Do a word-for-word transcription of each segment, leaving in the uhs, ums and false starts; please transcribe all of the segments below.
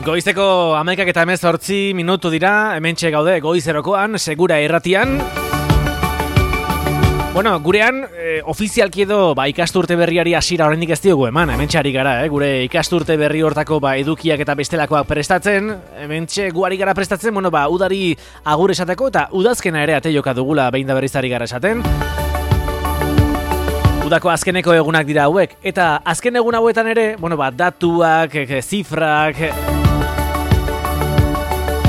Goizeko hamaikak eta hemezortzi minutu dira, hementxe gaude goizerokoan, segura irratian. Bueno, gurean, e, ofizialki edo ba, ikasturte berriari hasiera oraindik ez diogu eman, hementxe ari gara, eh? Gure ikasturte berri hortako ba, edukiak eta bestelakoak prestatzen, hementxe guari gara prestatzen, bueno, ba, udari agur esateko eta udazkena ere ate joka dugula behin da berriz ari gara esaten. Udako azkeneko egunak dira hauek, eta azken egun hauetan ere, bueno, ba, datuak, e, zifrak,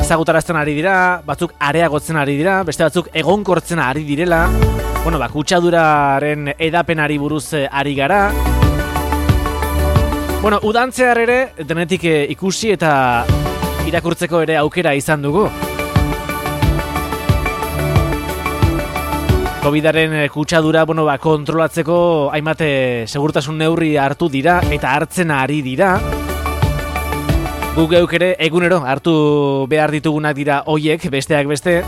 ezagutarazten ari dira, batzuk areagotzen ari dira, beste batzuk egonkortzen ari direla, bueno, ba, kutsaduraren edapenari buruz ari gara. Bueno, udantzear ere, denetik ikusi eta irakurtzeko ere aukera izan dugu. Covidaren kutsadura, bueno, ba, kontrolatzeko hainbat segurtasun neurri hartu dira eta hartzen ari dira. Guk geuk ere egunero hartu behar ditugunak dira hoiek, besteak beste.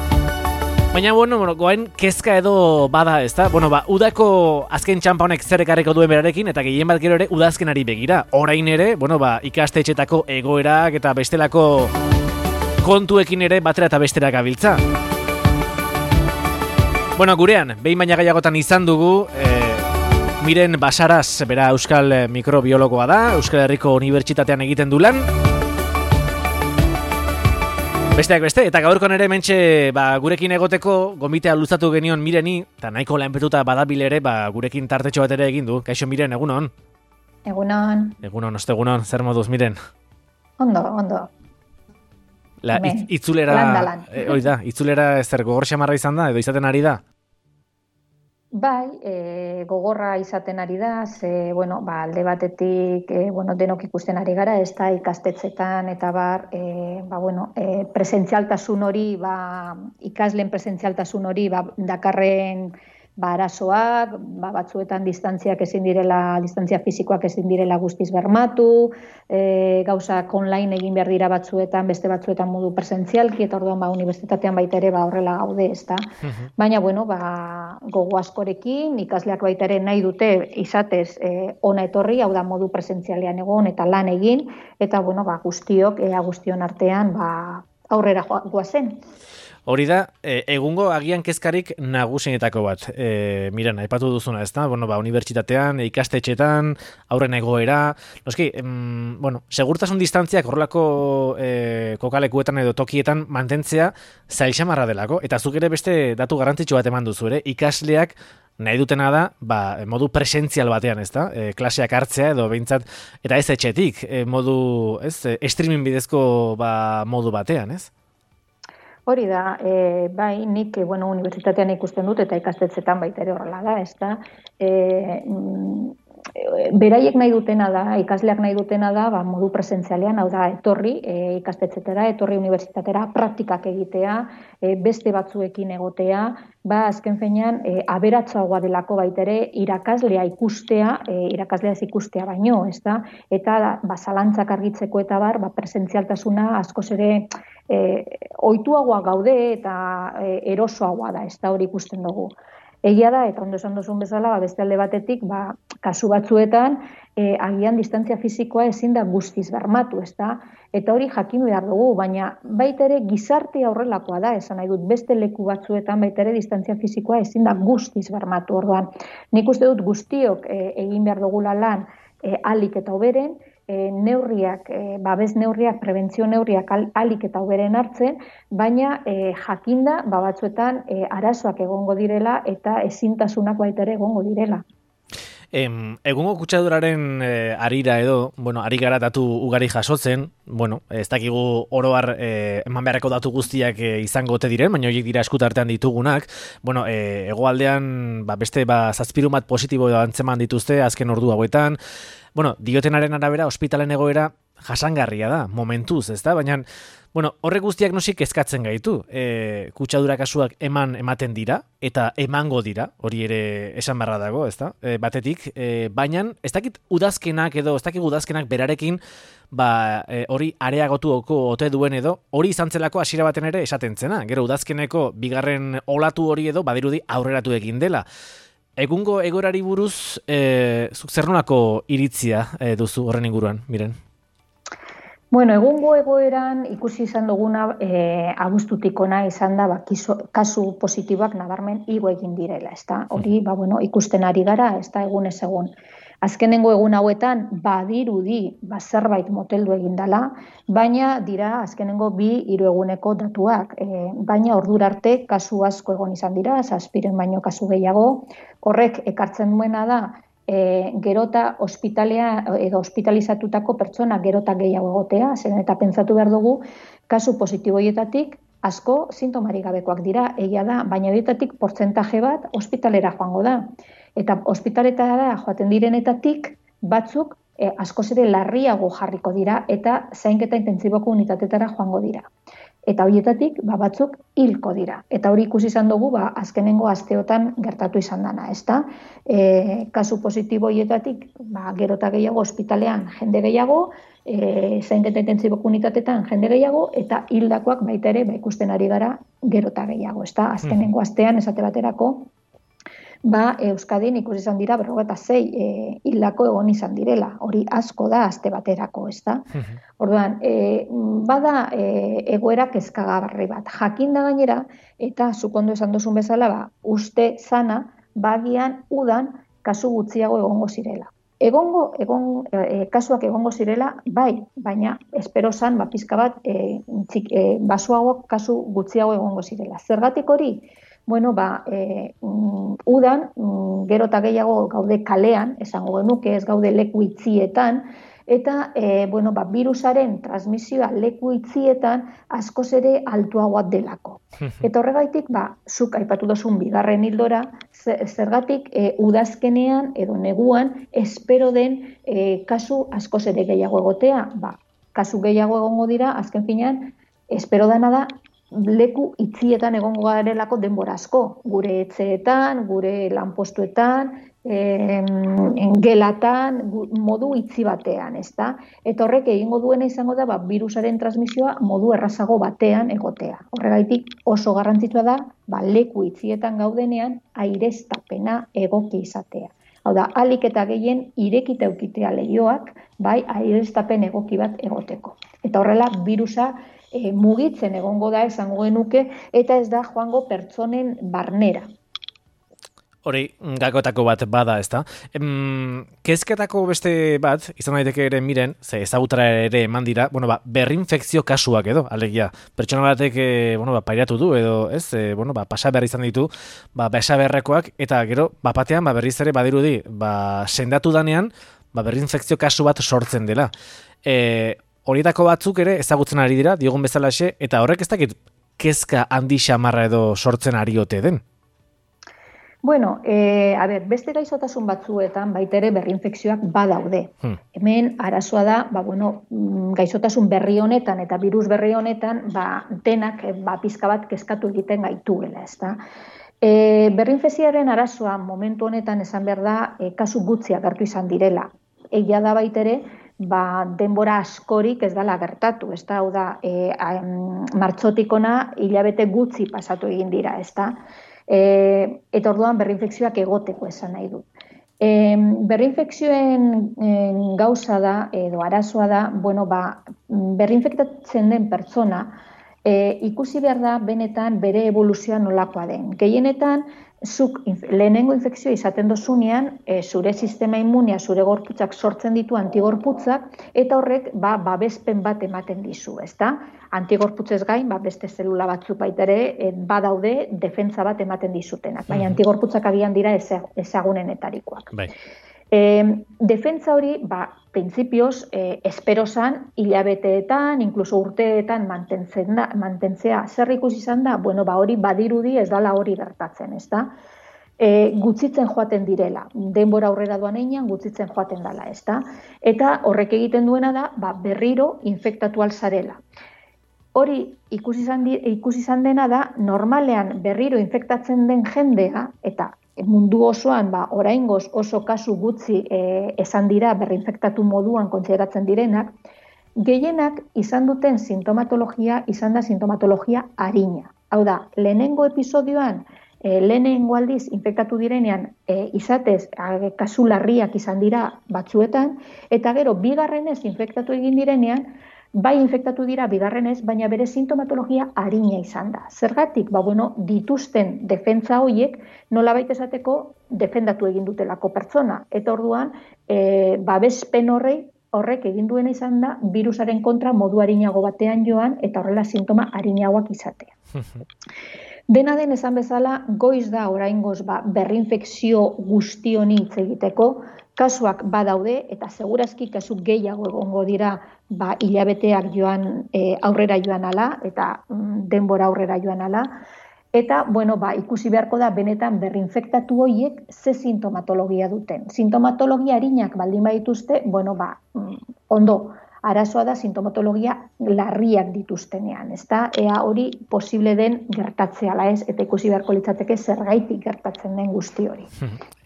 Baina, bueno, bueno, goain kezka edo bada, ezta? Bueno, ba, udako azken txampa honek zer ekarriko duen berarekin, eta gehien bat gero ere udazkenari begira. Orain ere, bueno, ba, ikastetxetako egoerak eta bestelako kontuekin ere batera eta bestera gabiltza. Bueno, gurean, behin baina gaiagotan izan dugu, e, Miren Basaraz, bera euskal mikrobiologoa da, Euskal Herriko Unibertsitatean egiten du lan. Besteak beste, eta gaurkoan ere mentxe ba, gurekin egoteko gonbitea luzatu genion Mireni, eta nahiko lanpetuta badabil ere ba, gurekin tartetxo bat ere egin du. Kaixo Miren, egunon? Egunon. Egunon, oste egunon, zer moduz Miren? Ondo, ondo. La, itz, itzulera, lan da lan. E, oi da, itzulera zer gogor xamarra izan da, edo izaten ari da? Bai, e, gogorra izaten ari da, ze, bueno, ba, alde batetik, e, bueno, denok ikusten ari gara, ez da ikastetxetan eta bar, e, ba, bueno, e, presentzialtasun hori, ba, ikasleen presentzialtasun hori, ba, dakarren, ba, arazoak, ba, batzuetan distantziak ezin direla, distantzia fisikoak ezin direla guztiz bermatu, e, gauzak online egin behar dira batzuetan, beste batzuetan modu presentzialki, eta orduan, ba, unibertsitatean baita ere, ba, horrela gaude, ez da. Uh-huh. Baina, bueno, ba, gogo askorekin, ikasleak baita ere nahi dute izatez e, ona etorri, hau da modu presentzialean egon eta lan egin, eta, bueno, ba, guztiok, ea guztion artean, ba, aurrera goazen. Hori da, e, egungo agian kezkarik nagusienetako bat. E, Miren, aipatu duzuna, ez da? Bueno, ba, unibertsitatean, ikastetxetan, aurren egoera. Noski, em, bueno, segurtasun distantziak horrelako e, kokalekuetan edo tokietan mantentzea zailxamarra delako. Eta zuk ere beste datu garrantzitsu bat eman duzu ere, ikasleak nahi dutena da, ba, modu presentzial batean, ez da? E, klaseak hartzea edo behintzat, eta ez etxetik, e, modu, ez, streaming bidezko ba, modu batean, ez? Hori da, e, bai, nik, e, bueno, unibertsitatean ikusten dut eta ikastetxetan baita ere horrela da, ez da. E, beraiek nahi dutena da, ikasleak nahi dutena da, ba, modu presentzialean, hau da, etorri e, ikastetxetera, etorri unibertsitatera, praktikak egitea, e, beste batzuekin egotea, ba, azken fenean, e, aberatsagoa delako baita ere, irakaslea ikustea, e, irakaslea ez ikustea baino, ez da, eta ba, zalantzak argitzeko eta bar, ba, presentzialtasuna askoz ere, E, ohituagoa gaude eta e, erosoagoa da, ez da hori ikusten dugu. Egia da, eta ondo esan duzun bezala, ba, beste alde batetik, ba, kasu batzuetan, e, agian distantzia fisikoa ezin da guztiz bermatu, ez da? Eta hori jakin behar dugu, baina baita ere gizartea horrelakoa da, esan nahi dut, beste leku batzuetan baita ere distantzia fisikoa ezin da guztiz bermatu, orduan. Nik uste dut guztiok e, egin behar dugula lan e, alik eta hoberen, E, neurriak, e, babes neurriak, prebentzio neurriak al, alik eta hoberen hartzen, baina e, jakinda ba, batzuetan e, arazoak egongo direla eta ezintasunak baita ere egongo direla. Em, egungo kutsaduraren e, arira edo, bueno, ari gara datu ugari jasotzen, bueno, ez dakigu oroar e, eman beharreko datu guztiak e, izango ote diren, baina horiek dira eskutartean ditugunak, bueno, e, hegoaldean ba, beste ba, zazpirun bat positibo antzeman dituzte azken ordu hauetan, bueno, diotenaren arabera, ospitalen egoera jasangarria da, momentuz, ez da? Baina, bueno, horrek guztiak nosik kezkatzen gaitu. E, kutsadura kasuak eman ematen dira, eta emango dira, hori ere esan barra dago, ez da? E, batetik, e, baina, ez dakit udazkenak edo, ez dakit udazkenak berarekin, ba, e, hori areagotuko ote duen edo, hori izan zelako hasiera baten ere esaten zena. Gero, udazkeneko bigarren olatu hori edo, badirudi aurreratu egin dela. Egungo egorari buruz, e, zuk zer nolako iritzia e, duzu horren inguruan, Miren? Bueno, egungo egoeran ikusi izan duguna e, abuztutik ona izan da ba, kiso, kasu positiboak nabarmen igo egin direla, ezta? Hori, ba, bueno, ikusten ari gara, ezta egunez egun. Azkenengo egun hauetan badirudi ba, zerbait moteldu egin dela, baina dira azkenengo bi hiru eguneko datuak. E, baina ordura arte kasu asko egon izan dira, zazpiren baino kasu gehiago. Horrek ekartzen duena da, E, gerota ospitalea edo ospitalizatutako pertsona gerota gehiago egotea, zen eta pentsatu behar dugu, kasu positiboietatik asko sintomarik gabekoak dira, egia da, baina horietatik portzentaje bat ospitalera joango da. Eta ospitaletara joaten direnetatik batzuk e, askoz ere larriago jarriko dira eta zainketa intentsiboko unitatetara joango dira. Eta horietatik ba, batzuk hilko dira. Eta hori ikusi izan dugu ba, azkenengo asteotan gertatu izan dana, ezta? E, kasu positibo horietatik ba, gerota gehiago ospitalean jende gehiago, e, zainketa intentsiboko unitatetan jende gehiago, eta hildakoak baita ere ba, ikusten ari gara gerota gehiago, ezta? Azkenengo astean esate baterako, ba, Euskadin ikusi izan dira berrogeita sei e, hildako egon izan direla. Hori asko da aste baterako, ezta? Orduan, e, bada e, egoera kezkagarri bat. Jakin da gainera, eta zukondo esan duzun bezala, ba, uste zana, bagian udan kasu gutxiago egongo zirela. Egongo, egon, e, kasuak egongo zirela, bai, baina espero zan, ba, pizka bat, e, txik, e, basuagoak kasu gutxiago egongo zirela. Zergatik hori? Bueno, ba, e, mm, udan, mm, gero eta gehiago gaude kalean, esango genuke, ez gaude leku itzietan, eta e, bueno, ba, virusaren transmisioa leku itzietan askoz ere altuagoa delako. Eta horregaitik, ba, zuk aipatu dozun bigarren hildora, zergatik e, udazkenean edo neguan espero den e, kasu askoz ere gehiago egotea. Ba, kasu gehiago egongo dira, azken finean, espero dana da, leku itzietan egongo garelako denbora asko, gure etxeetan, gure lanpostuetan, e, gelatan, modu itzi batean, ezta? Eta horrek egingo duena izango da, ba, virusaren transmisioa modu errazago batean egotea. Horregaitik oso garrantzitsua da, ba, leku itzietan gaudenean aireztapena egoki izatea. Hau da, ahalik eta gehien irekita eukitea leihoak, bai, aireztapen egoki bat egoteko. Eta horrela, virusa E, mugitzen egongo da esango genuke, eta ez da joango pertsonen barnera. Hori, gakotako bat bada, ezta? Em, kezketako beste bat, izan daiteke ere miren, ze ezagutara ere eman dira, bueno, ba, berrinfekzio kasuak edo, alegia. Pertsona batek, e, bueno, ba, pairatu du, edo, ez, e, bueno, ba, pasa behar izan ditu, ba, besa beharrekoak, eta gero, bapatean, ba, berriz ere badirudi, ba, sendatu danean, ba, berrinfekzio kasu bat sortzen dela. E, Horietako batzuk ere ezagutzen ari dira, diogun bezalaxe, eta horrek ez dakit kezka handi xamarra edo sortzen ari ote den? Bueno, e, a ber, beste gaixotasun batzuetan baita ere berrinfekzioak badaude. Hmm. Hemen arazoa da, ba, bueno, gaixotasun berri honetan eta virus berri honetan, ba, denak ba, pizka bat kezkatu egiten gaituela, ezta? E, berrinfekzioaren arazoa momentu honetan esan behar da, e, kasu gutxi agertu izan direla. Egia da baita ere, ba, denbora askorik ez dela gertatu, ez da, hau da, e, martxotik ona hilabete gutxi pasatu egin dira, ez da, e, eta orduan berrinfekzioak egoteko esan nahi du. E, berrinfekzioen e, gauza da, edo arazoa da, bueno, ba, berrinfektatzen den pertsona, e, ikusi behar da benetan bere evoluzioa nolakoa den. Gehienetan, zuk lehenengo infekzioa izaten dozunean, e, zure sistema immunia, zure gorputzak sortzen ditu antigorputzak, eta horrek ba, babespen bat ematen dizu, ezta? Antigorputzez gain, ba, beste zelula batzuk baita ere, e, badaude defentsa bat ematen dizutenak, baina antigorputzak agian dira ezagunenetarikoak. Bai. E, defentsa hori, ba, printzipioz, e, espero zan, hilabeteetan, inkluso urteetan da, mantentzea. Zer ikusi izan da? Bueno, ba, hori badirudi ez dala hori gertatzen, ez da? E, gutzitzen joaten direla. Denbora aurrera doan einean, gutzitzen joaten dela, ez da? Eta horrek egiten duena da, ba, berriro infektatu alzarela. Hori ikusi izan, di, ikusi izan dena da, normalean berriro infektatzen den jendea, eta mundu osoan, ba, oraingoz oso kasu gutxi e, esan dira berrinfektatu moduan kontsideratzen direnak, gehienak izan duten sintomatologia izan da sintomatologia arina. Hau da, lehenengo episodioan, e, lehenengo aldiz infektatu direnean e, izatez e, kasu larriak izan dira batzuetan, eta gero bigarrenez infektatu egin direnean, bai infektatu dira bigarrenez, baina bere sintomatologia arina izan da. Zergatik, ba, bueno, dituzten defentsa horiek nolabait esateko defendatu egin dutelako pertsona. Eta orduan, e, babespen horrei horrek egin duena izan da, virusaren kontra modu arinago batean joan, eta horrela sintoma arinagoak izatea. Dena den esan bezala, goiz da oraingoz ba, berrinfekzio guzti honi hitz egiteko, kasuak badaude, eta segurazki kasu gehiago egongo dira ba, hilabeteak joan e, aurrera joan ala, eta mm, denbora aurrera joan ala, eta bueno, ba, ikusi beharko da benetan berrinfektatu horiek ze sintomatologia duten. Sintomatologia arinak baldin badituzte, bueno, ba, mm, ondo, arazoa da sintomatologia larriak dituztenean, ezta? Ea hori posible den gertatzea ala ez, eta ikusi beharko litzateke zergaitik gertatzen den guzti hori.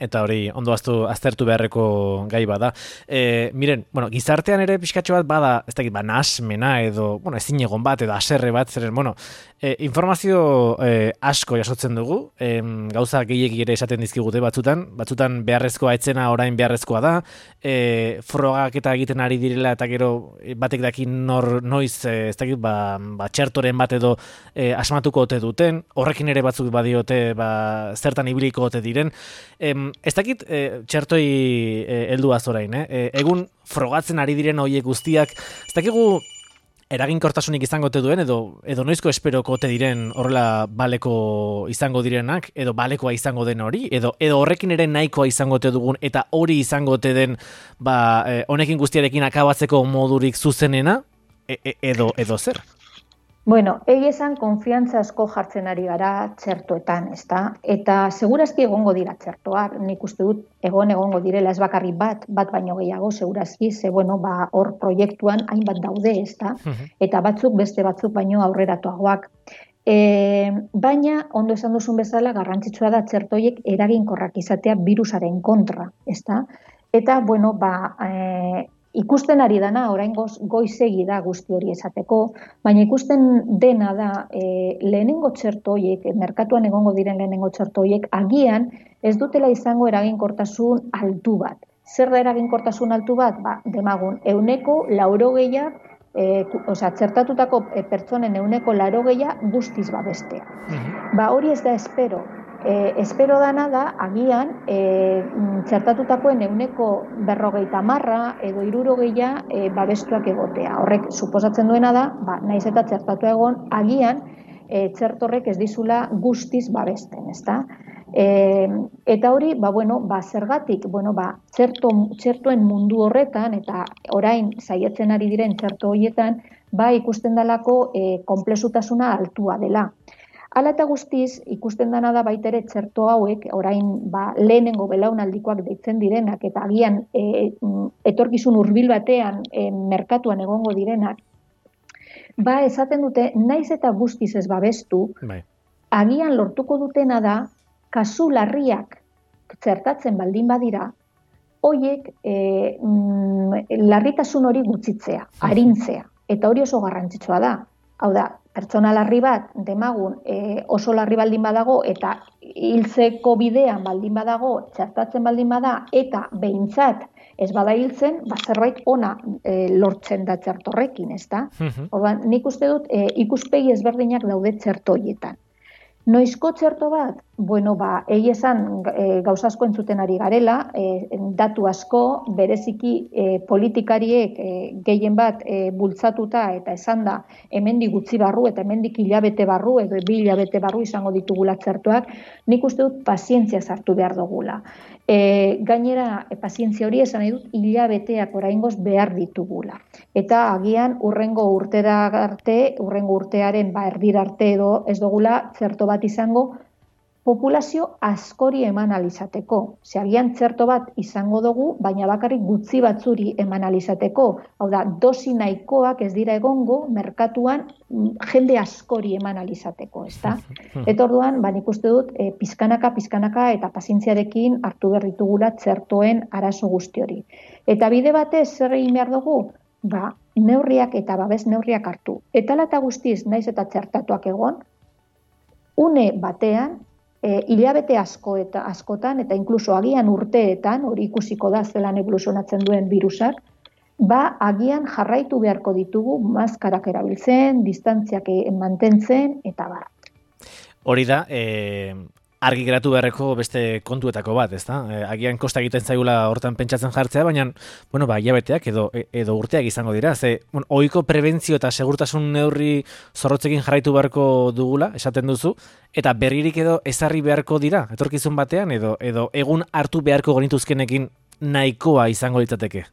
Eta hori ondo aztu, aztertu beharreko gai bada. E, miren, bueno, gizartean ere pixkatxo bat bada, ez dakit, ba, nahasmena edo, bueno, ezin egon bat edo haserre bat, zeren, bueno, e, informazio e, asko jasotzen dugu, e, gauza gehiegi ere esaten dizkigute batzutan, batzutan beharrezkoa etzena orain beharrezkoa da, e, frogak eta egiten ari direla eta gero batek daki nor noiz ez dakit ba, ba txertoren bat edo e, asmatuko ote duten, horrekin ere batzuk badiote ba, zertan ibiliko ote diren. E, ez dakit e, txertoi e, helduaz orain, eh? E, egun frogatzen ari diren horiek guztiak, ez dakigu eraginkortasunik izango ote duen edo edo noizko esperoko ote diren horrela baleko izango direnak edo balekoa izango den hori edo edo horrekin ere nahikoa izango ote dugun eta hori izango ote den ba eh, honekin guztiarekin akabatzeko modurik zuzenena e, e, edo edo zer. Bueno, egia esan konfiantza asko jartzen ari gara txertoetan, ezta? Eta segurazki egongo dira txertoak, nik uste dut egon egongo direla ez bakarrik bat, bat baino gehiago segurazki, ze bueno, ba hor proiektuan hainbat daude, ezta? Eta batzuk beste batzuk baino aurreratuagoak. E, baina, ondo esan duzun bezala, garrantzitsua da txertoiek eraginkorrak izatea virusaren kontra, ezta? Eta, bueno, ba, e, ikusten ari dana, orain goz, goizegi da guzti hori esateko, baina ikusten dena da e, lehenengo txertoiek, merkatuan egongo diren lehenengo txertoiek, agian ez dutela izango eraginkortasun altu bat. Zer da eraginkortasun altu bat? Ba, demagun, euneko laurogeia, e, osea, txertatutako pertsonen euneko laurogeia guztiz babestea. Mm-hmm. Ba, hori ez da espero. E, espero dana da, agian, e, txertatutakoen euneko berrogeita marra edo hirurogeia e, babestuak egotea. Horrek, suposatzen duena da, ba, naiz eta txertatu egon, agian e, txertorrek ez dizula guztiz babesten, ezta? E, eta hori, ba, bueno, ba, zergatik, bueno, ba, txerto, txertoen mundu horretan, eta orain saiatzen ari diren txerto horietan, ba, ikusten dalako e, konplexutasuna altua dela. Hala eta guztiz, ikusten dana da baita ere txerto hauek, orain ba, lehenengo belaunaldikoak deitzen direnak, eta agian e, etorkizun hurbil batean e, merkatuan egongo direnak, ba esaten dute, naiz eta guztiz ez babestu, bai. Agian lortuko dutena da, kasu larriak txertatzen baldin badira, hoiek e, mm, larritasun hori gutxitzea, arintzea, eta hori oso garrantzitsua da. Hau da, pertsona larri bat, demagun, e, oso larri baldin badago, eta hiltzeko bidean baldin badago, txertatzen baldin bada, eta behintzat ez bada hiltzen, ba, zerbait ona e, lortzen da txertorrekin, ezta? Uh-huh. Orduan, nik uste dut, e, ikuspegi ezberdinak daude txertoietan. Noizko txerto bat? Bueno, ba, egi esan e, gauza asko entzuten ari garela, e, datu asko, bereziki e, politikariek e, gehien bat e, bultzatuta eta esan da hemendik gutxi barru eta hemendik hilabete barru edo bi hilabete barru izango ditugula txertoak, nik uste dut pazientzia sartu behar dugula. E, gainera, e, pazientzia hori esan nahi dut hilabeteak oraingoz behar ditugula. Eta agian urrengo urtera arte, urrengo urtearen ba, erdira arte edo ez dugula txerto bat izango populazio askori eman alizateko. Ze agian txerto bat izango dugu, baina bakarrik gutxi batzuri eman alizateko. Hau da, dosi nahikoak ez dira egongo merkatuan jende askori eman alizateko, ezta? Eta orduan, ba, nik uste dut, e, pizkanaka, pizkanaka eta pazientziarekin hartu behar ditugula txertoen arazo guzti hori. Eta bide batez zer egin behar dugu? Ba, neurriak eta babes neurriak hartu. Eta lata guztiz, naiz eta txertatuak egon, une batean, E, hilabete asko eta askotan, eta inkluso agian urteetan, hori ikusiko da zelan evoluzionatzen duen virusak, ba agian jarraitu beharko ditugu maskarak erabiltzen, distantziak mantentzen, eta bar. Hori da, e, argi geratu beharreko beste kontuetako bat, ezta? E, agian kosta egiten zaigula hortan pentsatzen jartzea, baina, bueno, ba, hilabeteak edo, edo urteak izango dira. Ze, bueno, ohiko prebentzio eta segurtasun neurri zorrotzekin jarraitu beharko dugula, esaten duzu, eta berririk edo ezarri beharko dira, etorkizun batean, edo, edo egun hartu beharko genituzkenekin nahikoa izango litzateke.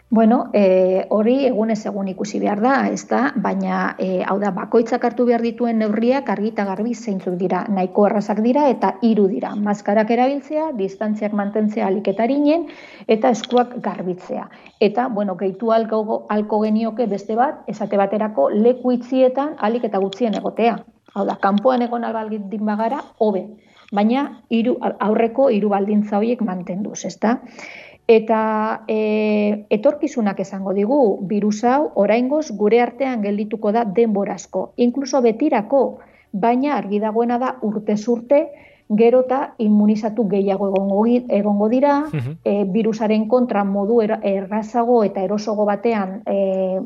Bueno, e, hori egunez egun ikusi behar da, ez da, baina e, hau da, bakoitzak hartu behar dituen neurriak argi eta garbi zeintzuk dira, nahiko errazak dira eta hiru dira. Maskarak erabiltzea, distantziak mantentzea alik eta arinen, eta eskuak garbitzea. Eta, bueno, gehitu alko, alko genioke beste bat, esate baterako leku itzietan alik eta gutxien egotea. Hau da, kanpoan egon albaldin bagara, hobe, baina hiru aurreko hiru baldintza horiek mantenduz, ez da? Eta e, etorkizunak esango digu, birus hau oraingoz gure artean geldituko da denborazko, inkluso betirako, baina argi dagoena da urtez urte, gero eta immunizatu gehiago egongo, egongo dira, uh-huh. e, virusaren kontra modu er, errazago eta erosogo batean e,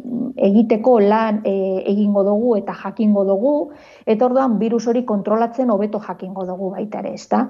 egiteko lan e, egingo dugu eta jakingo dugu, eta orduan virus hori kontrolatzen hobeto jakingo dugu baita ere, ezta?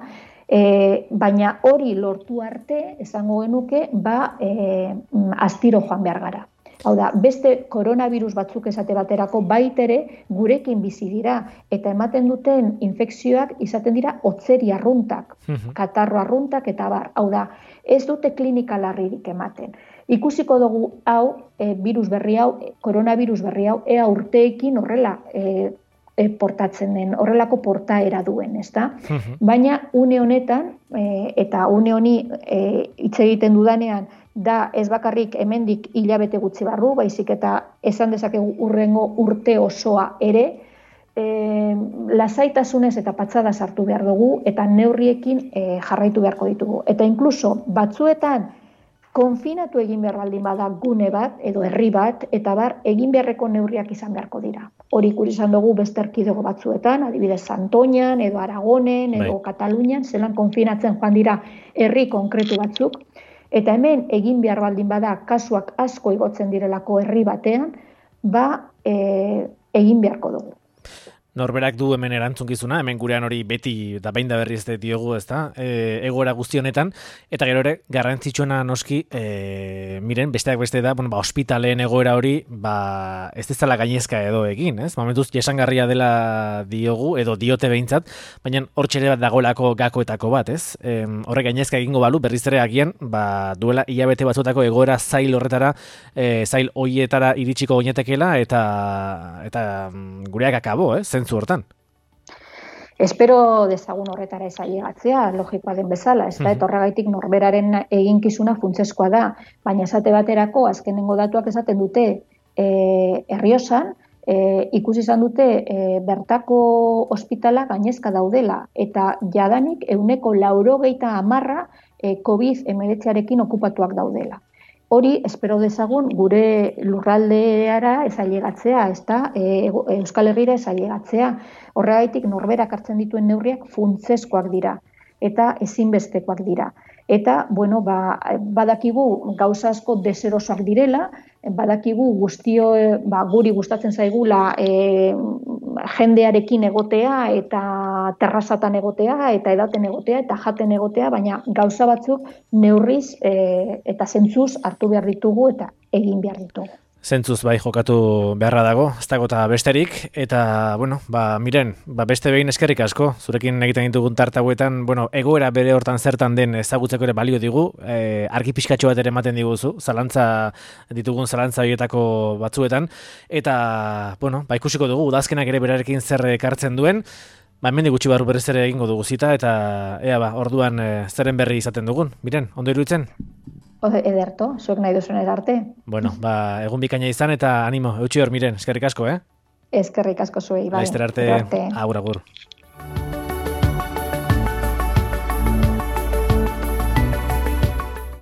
E, baina hori lortu arte, esango genuke, ba, e, astiro joan behar gara. Hau da, beste koronavirus batzuk esate baterako baitere gurekin bizi dira, eta ematen duten infekzioak izaten dira hotzeri arruntak, uh-huh. katarro arruntak eta bar. Hau da, ez dute klinika larririk ematen. Ikusiko dugu hau, e, virus berri hau, koronavirus berri hau, ea urteekin horrela e, E, portatzen den, horrelako portaera duen, ezta? Uh-huh. Baina une honetan, e, eta une honi e, hitz egiten dudanean, da ez bakarrik hemendik hilabete gutxi barru, baizik eta esan dezakegu urrengo urte osoa ere, e, lasaitasunez eta patxada sartu behar dugu, eta neurriekin e, jarraitu beharko ditugu. Eta inkluso batzuetan, konfinatu egin behar baldin bada gune bat, edo herri bat, eta bar, egin beharreko neurriak izan beharko dira. Hori ikusi izan dugu beste erkidego batzuetan, adibidez Santoñan, edo Aragonen, edo bai. Katalunian, zelan konfinatzen joan dira herri konkretu batzuk, eta hemen egin behar baldin bada kasuak asko igotzen direlako herri batean, ba, e, egin beharko dugu. Norberak du hemen erantzunkizuna, hemen gurean hori beti da behin da berriz diogu, ezta? E, egoera guzti honetan, eta gero ere garrantzitsuena noski, e, miren, besteak beste da, bueno, ba, ospitaleen egoera hori, ba, ez dezala gainezka edo egin, ez? Momentuz, jesangarria dela diogu, edo diote behintzat, baina hor txere bat dagoelako gakoetako bat, ez? E, horrek gainezka egingo balu, berriz ere agian, ba, duela hilabete batzutako egoera zail horretara, e, zail hoietara iritsiko goinetekela, eta, eta gureak akabo, ez? Zentzu hortan. Espero dezagun horretara ez ailegatzea, logikoa den bezala, ez da, uh-huh. etorragaitik norberaren eginkizuna funtsezkoa da, baina esate baterako, azkenengo datuak esaten dute, e, Errioxan, e, ikusi izan dute e, bertako ospitala gainezka daudela, eta jadanik ehuneko laurogeita hamarra e, covid hemeretziarekin okupatuak daudela. Hori, espero dezagun, gure lurraldeara ez ailegatzea, ez da, e, Euskal Herrira ez ailegatzea. Horregaitik norberak hartzen dituen neurriak funtsezkoak dira, eta ezinbestekoak dira. Eta, bueno, ba, badakigu gauza asko deserosoak direla, badakigu guztio, ba, guri gustatzen zaigula e, jendearekin egotea, eta terrazatan egotea, eta edaten egotea, eta jaten egotea, baina gauza batzuk neurriz e, eta zentzuz hartu behar ditugu eta egin behar ditugu. Zentzuz bai jokatu beharra dago, ez dago eta besterik, eta, bueno, ba, miren, ba, beste behin eskerrik asko, zurekin egiten ditugun tartauetan, bueno, egoera bere hortan zertan den ezagutzeko ere balio digu, e, argi pixkatxo bat ere ematen diguzu, zalantza ditugun zalantza horietako batzuetan, eta, bueno, ba, ikusiko dugu, udazkenak ere berarekin zer ekartzen duen, ba, hemendik gutxi barru berriz ere egingo dugu zita, eta, ea, ba, orduan e, zeren berri izaten dugun, miren, ondo iruditzen? Ederto, zuek nahi duzuen arte. Bueno, ba, egun bikaina izan eta animo, eutxi hor, miren, eskerrik asko, eh? Eskerrik asko zuei, bai. Laizter arte, agur, agur.